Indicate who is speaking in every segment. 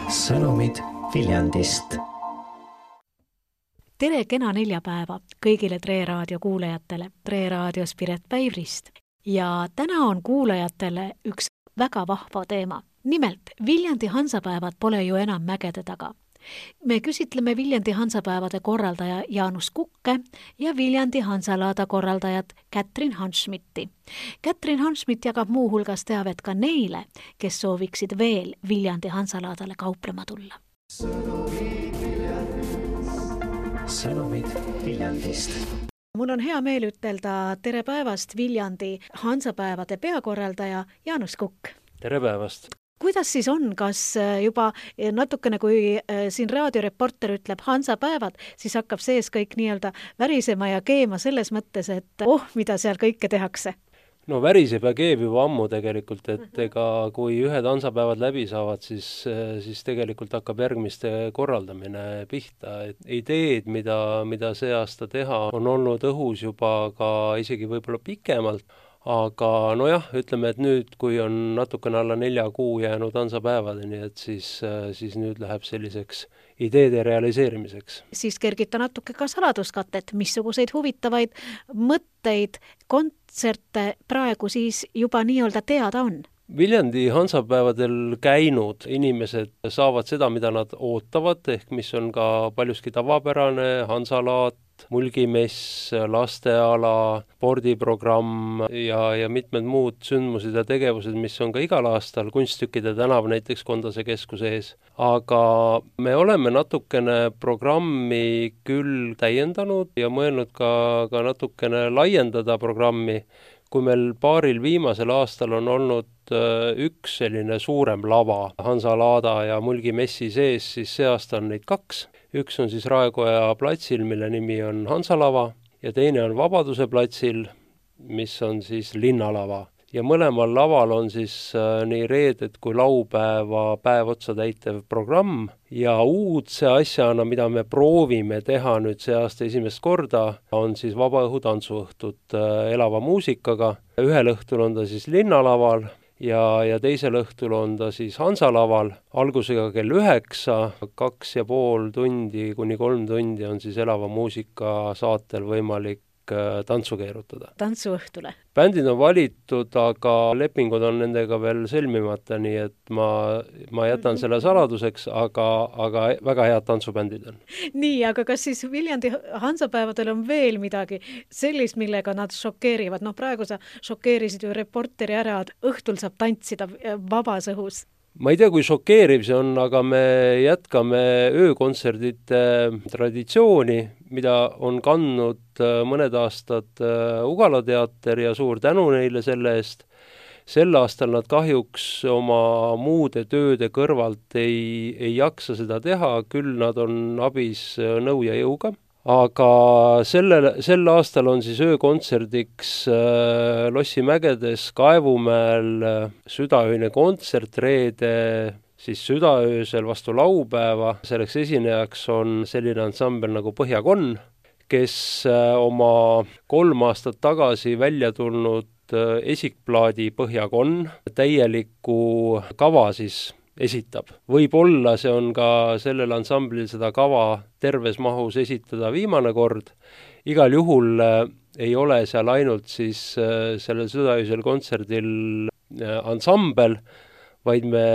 Speaker 1: Sõnumid Viljandist.
Speaker 2: Tere kena neljapäeva kõigile Tre Raadio kuulajatele, Tre Raadios Piret Päivrist. Ja täna on kuulajatele üks väga vahva teema. Nimelt, Viljandi Hansapäevad pole ju enam mägede taga. Me küsitleme Viljandi Hansapäevade korraldaja Jaanus Kukke ja Viljandi Hansalaada korraldajat Kätrin Hanschmidti. Kätrin Hanschmidt jagab muu hulgas teavet ka neile, kes sooviksid veel Viljandi Hansalaadale kauplema tulla.
Speaker 1: Sõnumid Viljandist.
Speaker 2: Mul on hea meel ütelda tere päevast Viljandi Hansapäevade peakorraldaja Jaanus Kukk.
Speaker 3: Tere päevast!
Speaker 2: Kuidas siis on, kas juba natukene, kui siin raadioreporter ütleb Hansapäevad, siis hakkab sees kõik nii-öelda värisema ja keema selles mõttes, et mida seal kõike tehakse?
Speaker 3: No väriseb ja keeb juba ammu tegelikult, et ega kui ühed Hansapäevad läbi saavad, siis tegelikult hakkab järgmiste korraldamine pihta. Ideed, mida see aasta teha, on olnud õhus juba ka isegi võib-olla pikemalt. Aga nojah, ütleme, et nüüd, kui on natukene alla 4 kuu jäänud Hansapäevadeni, et siis nüüd läheb selliseks ideede realiseerimiseks.
Speaker 2: Siis kergita natuke ka saladuskatet, missuguseid huvitavaid mõtteid, kontserte praegu siis juba nii-öelda teada on?
Speaker 3: Viljandi Hansapäevadel käinud inimesed saavad seda, mida nad ootavad, ehk mis on ka paljuski tavapärane, Hansalaat, mulgimess, lasteala, spordiprogramm ja mitmed muud sündmused ja tegevused, mis on ka igal aastal, Kunsttükkide tänav näiteks Kondase keskuse ees. Aga me oleme natukene programmi küll täiendanud ja mõelnud ka natukene laiendada programmi. Kui meil paaril viimasel aastal on olnud üks selline suurem lava Hansalaada ja mulgimessi sees, siis see aasta on neid 2. Üks on siis Raekoja platsil, mille nimi on Hansalava, ja teine on Vabaduse platsil, mis on siis linnalava. Ja mõlemal laval on siis nii reedet kui laupäeva päev otsa täitev programm ja uudse asjana, mida me proovime teha nüüd see aasta esimest korda, on siis vabaõhu tantsuõhtut elava muusikaga. Ühel õhtul on ta siis linnalaval ja teisel õhtul on ta siis Hansalaval, algusega kell 9, 2,5 tundi kuni 3 tundi on siis elava muusika saatel võimalik tantsu keerutada.
Speaker 2: Tantsuõhtule?
Speaker 3: Bändid on valitud, aga lepingud on nendega veel sõlmimata, nii et ma jätan selle saladuseks, aga väga head tantsubändid on.
Speaker 2: Nii, aga kas siis Viljandi Hansapäevadel on veel midagi sellist, millega nad šokeerivad? Praegu sa šokeerisid ju reporteri ära, et õhtul saab tantsida vabas õhus.
Speaker 3: Ma ei tea, kui šokeeriv see on, aga me jätkame öökontserdite traditsiooni, mida on kandnud mõned aastad Ugala teater ja suur tänu neile selle eest. Sel aastal nad kahjuks oma muude tööde kõrvalt ei jaksa seda teha, küll nad on abis nõu ja jõuga. Aga sel aastal on siis öökontserdiks Lossimägedes Kaevumäel südaöine kontsert reede, siis südaöösel vastu laupäeva. Selleks esinejaks on selline ansambel nagu Põhjakonn, kes oma 3 aastat tagasi välja tulnud esikplaadi Põhjakonn täieliku kava siis esitab. Võib-olla see on ka sellel ansamblil seda kava terves mahus esitada viimane kord. Igal juhul ei ole seal ainult siis sellel südaöösel kontserdil ansambel, vaid me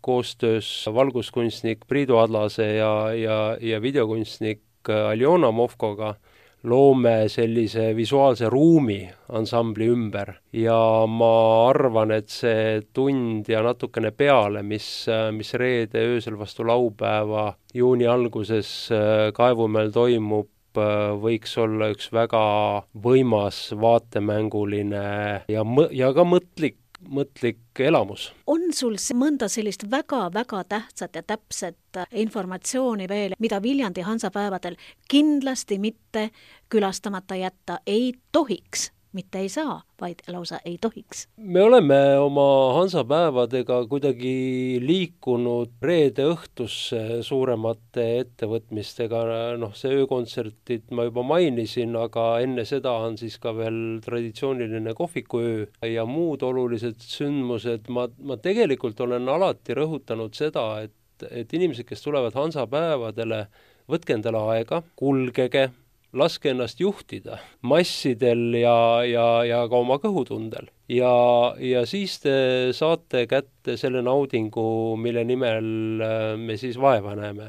Speaker 3: koostöös valguskunstnik Priidu Adlase ja videokunstnik Aljona Movkoga loome sellise visuaalse ruumi ansambli ümber ja ma arvan, et see tund ja natukene peale, mis reede öösel vastu laupäeva juuni alguses Kaevumäel toimub, võiks olla üks väga võimas vaatemänguline ja ka mõtlik elamus.
Speaker 2: On sul mõnda sellist väga-väga tähtsat ja täpset informatsiooni veel, mida Viljandi Hansapäevadel kindlasti mitte külastamata jätta ei tohiks, mitte ei saa, vaid lausa ei tohiks.
Speaker 3: Me oleme oma hansapäevadega kuidagi liikunud reede õhtusse suuremate ettevõtmistega, see öökontsertid ma juba mainisin, aga enne seda on siis ka veel traditsiooniline kohvikuöö ja muud olulised sündmused. Ma tegelikult olen alati rõhutanud seda, et inimesed, kes tulevad hansapäevadele, võtke endale aega, kulgege, laske ennast juhtida massidel ja ka oma kõhutundel. Ja siis te saate kätte selle naudingu, mille nimel me siis vaeva näeme.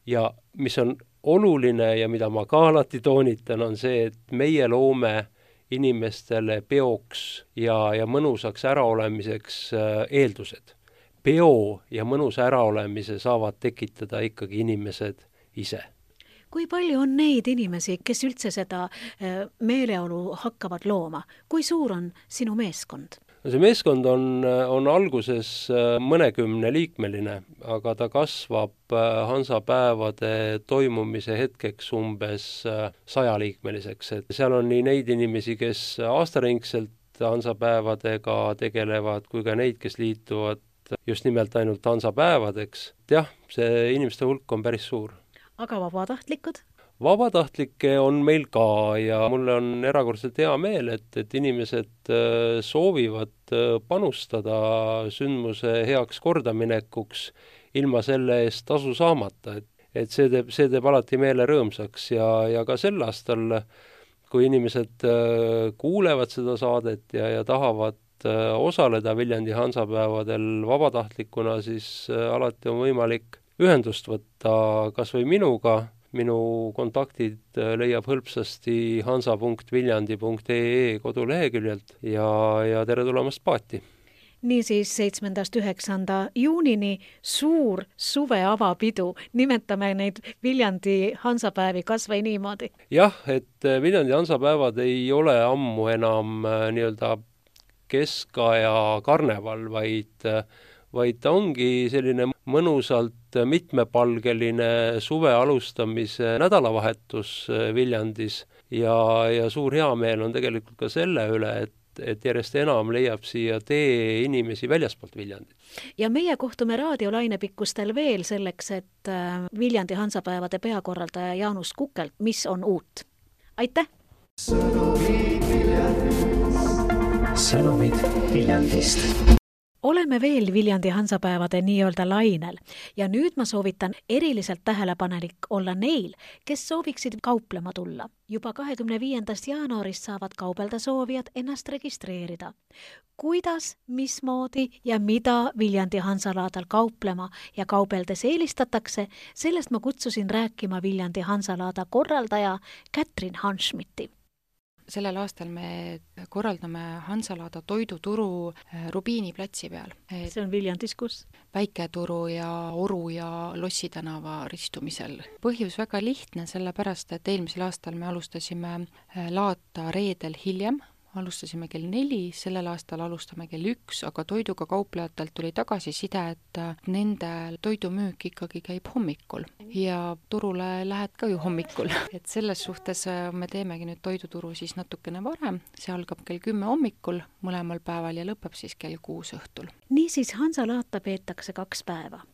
Speaker 3: Ja mis on oluline ja mida ma ka alati toonitan, on see, et meie loome inimestele peoks ja mõnusaks äraolemiseks eeldused. Peo ja mõnus äraolemise saavad tekitada ikkagi inimesed ise.
Speaker 2: Kui palju on neid inimesi, kes üldse seda meeleolu hakkavad looma? Kui suur on sinu meeskond?
Speaker 3: See meeskond on alguses mõnekümne liikmeline, aga ta kasvab hansapäevade toimumise hetkeks umbes 100 liikmeliseks. Et seal on nii neid inimesi, kes aastaringselt hansapäevadega tegelevad, kui ka neid, kes liituvad just nimelt ainult hansapäevadeks. Jah, see inimeste hulk on päris suur.
Speaker 2: Aga vabatahtlikud?
Speaker 3: Vabatahtlikke on meil ka ja mulle on erakordselt hea meel, et inimesed soovivad panustada sündmuse heaks kordaminekuks ilma selle eest tasu saamata. Et see teeb alati meele rõõmsaks ja ka sel aastal, kui inimesed kuulevad seda saadet ja tahavad osaleda Viljandi hansapäevadel vabatahtlikuna, siis alati on võimalik ühendust võtta kas või minuga. Minu kontaktid leiab hõlpsasti hansa.viljandi.ee koduleheküljelt ja tere tulemast paati.
Speaker 2: Niisiis 7.–9. juunini suur suveavapidu. Nimetame neid Viljandi hansapäevi kas või niimoodi.
Speaker 3: Jah, et Viljandi hansapäevad ei ole ammu enam nii-öelda keskaja karneval, vaid ta ongi selline mõnusalt mitmepalgeline suve alustamise nädalavahetus Viljandis ja suur heameel on tegelikult ka selle üle, et järjest enam leiab siia tee inimesi väljaspoolt Viljandit.
Speaker 2: Ja meie kohtume raadiolainepikkustel veel selleks, et Viljandi hansapäevade peakorraldaja Jaanus Kukelt, mis on uut. Aitäh!
Speaker 1: Sõnumid Viljandist.
Speaker 2: Oleme veel Viljandi hansapäevade nii-öelda lainel ja nüüd ma soovitan eriliselt tähelepanelik olla neil, kes sooviksid kauplema tulla. Juba 25. jaanuarist saavad kaubelda soovijad ennast registreerida. Kuidas, mismoodi ja mida Viljandi hansalaadal kauplema ja kaubeldes eelistatakse, sellest ma kutsusin rääkima Viljandi hansalaada korraldaja Kätrin Hanschmidti.
Speaker 4: Sellel aastal me korraldame hansalaada toiduturu Rubiini platsi peal.
Speaker 2: See on Viljandis kus?
Speaker 4: Väiketuru ja Oru ja Lossi tänava ristumisel. Põhjus väga lihtne, sellepärast, et eelmisel aastal me alustasime laata reedel hiljem. Alustasime kell 4, sellel aastal alustame kell 1, aga toiduga kauplejatelt tuli tagasiside, et nende toidumüük ikkagi käib hommikul ja turule lähed ka ju hommikul. Et selles suhtes me teemegi nüüd toiduturu siis natukene varem, see algab kell 10 hommikul mõlemal päeval ja lõpeb siis kell 6 õhtul.
Speaker 2: Niisiis hansalaata peetakse 2 päeva.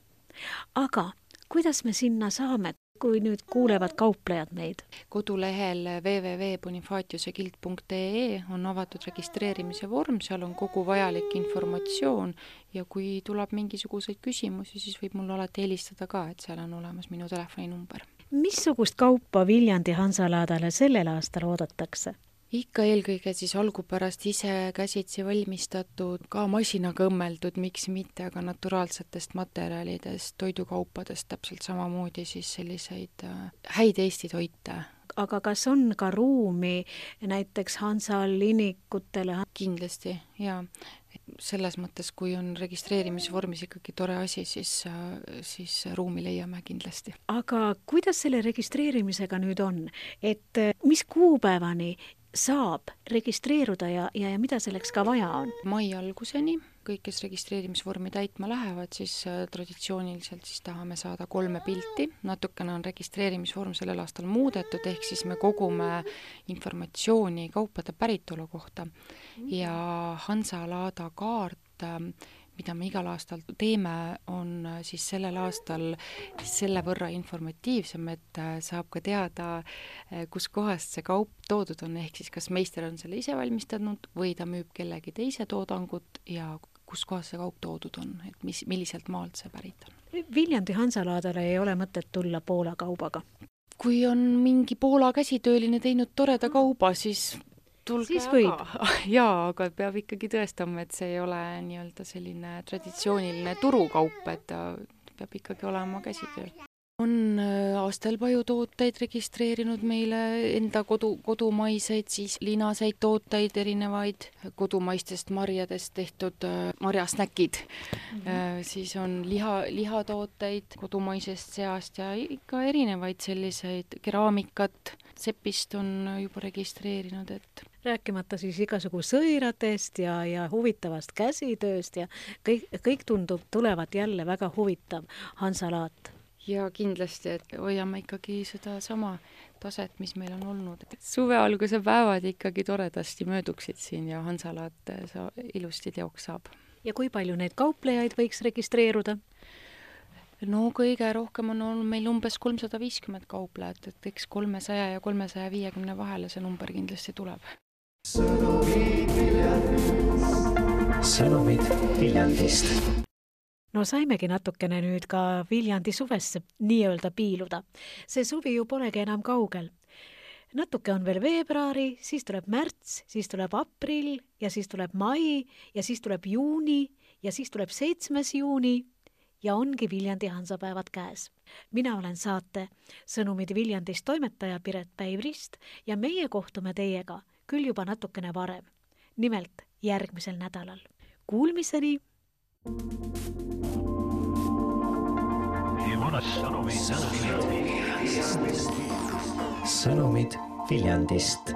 Speaker 2: Aga kuidas me sinna saame? Kui nüüd kuulevad kauplejad meid?
Speaker 4: Kodulehel www.bonifatiusegild.ee on avatud registreerimise vorm, seal on kogu vajalik informatsioon ja kui tuleb mingisuguseid küsimusi, siis võib mulle alati helistada ka, et seal on olemas minu telefoninumber.
Speaker 2: Missugust kaupa Viljandi hansalaadale sellel aastal oodatakse?
Speaker 4: Ikka eelkõige siis algupärast ise käsitsi valmistatud, ka masinaga õmmeldud, miks mitte, aga naturaalsetest materjalidest, toidukaupadest täpselt samamoodi siis selliseid häid Eesti toite.
Speaker 2: Aga kas on ka ruumi näiteks hansalinikutele?
Speaker 4: Kindlasti, jaa. Selles mõttes, kui on registreerimisvormis ikkagi tore asi, siis ruumi leiame kindlasti.
Speaker 2: Aga kuidas selle registreerimisega nüüd on? Et mis kuupäevani saab registreeruda ja mida selleks ka vaja on?
Speaker 4: Mai alguseni kõik, kes registreerimisvormi täitma lähevad, siis traditsiooniliselt siis tahame saada 3 pilti. Natukene on registreerimisvorm sellel aastal muudetud, ehk siis me kogume informatsiooni kaupade päritolu kohta ja Hansalaada kaart, mida me igal aastal teeme, on siis sellel aastal selle võrra informatiivsem, et saab ka teada, kus kohast see kaup toodud on, ehk siis kas meister on selle ise valmistanud või ta müüb kellegi teise toodangut ja kus kohas see kaup toodud on, et milliselt maalt see pärit on.
Speaker 2: Viljandi Hansalaadale ei ole mõtet tulla Poola kaubaga?
Speaker 4: Kui on mingi Poola käsitööline teinud toreda kauba, siis tulge
Speaker 2: siis võib.
Speaker 4: Jaa, aga peab ikkagi tõestama, et see ei ole nii-öelda selline traditsiooniline turukaup, et ta peab ikkagi olema käsitöö. On Astelpaju tooteid registreerinud meile enda kodumaiseid, siis linaseid tooteid, erinevaid kodumaistest marjadest tehtud marjasnäkid. Siis on lihatooteid kodumaisest seast ja ikka erinevaid selliseid keraamikat. Sepist on juba registreerinud, et
Speaker 2: rääkimata siis igasugu sõiratest ja huvitavast käsitööst ja kõik tundub tulevat jälle väga huvitav Hansalaat.
Speaker 4: Ja kindlasti, et hoiame ikkagi seda sama taset, mis meil on olnud. Suve alguse päevad ikkagi toredasti mööduksid siin ja Hansalaat ilusti teoks saab.
Speaker 2: Ja kui palju neid kauplejaid võiks registreeruda?
Speaker 4: No kõige rohkem on olnud meil umbes 350 kauplejat, et eks 300 ja 350 vahele see number kindlasti tuleb.
Speaker 1: Sõnumid Viljandist.
Speaker 2: No saimegi natukene nüüd ka Viljandi suvesse nii-öelda piiluda. See suvi ju polegi enam kaugel. Natuke on veel veebruari, siis tuleb märts, siis tuleb aprill ja siis tuleb mai ja siis tuleb juuni ja siis tuleb 7. juuni ja ongi Viljandi Hansapäevad käes. Mina olen saate Sõnumid Viljandist toimetaja Piret Päivrist ja meie kohtume teiega küll juba natukene varem. Nimelt järgmisel nädalal. Kuulmiseni!
Speaker 1: Sõnumid Viljandist.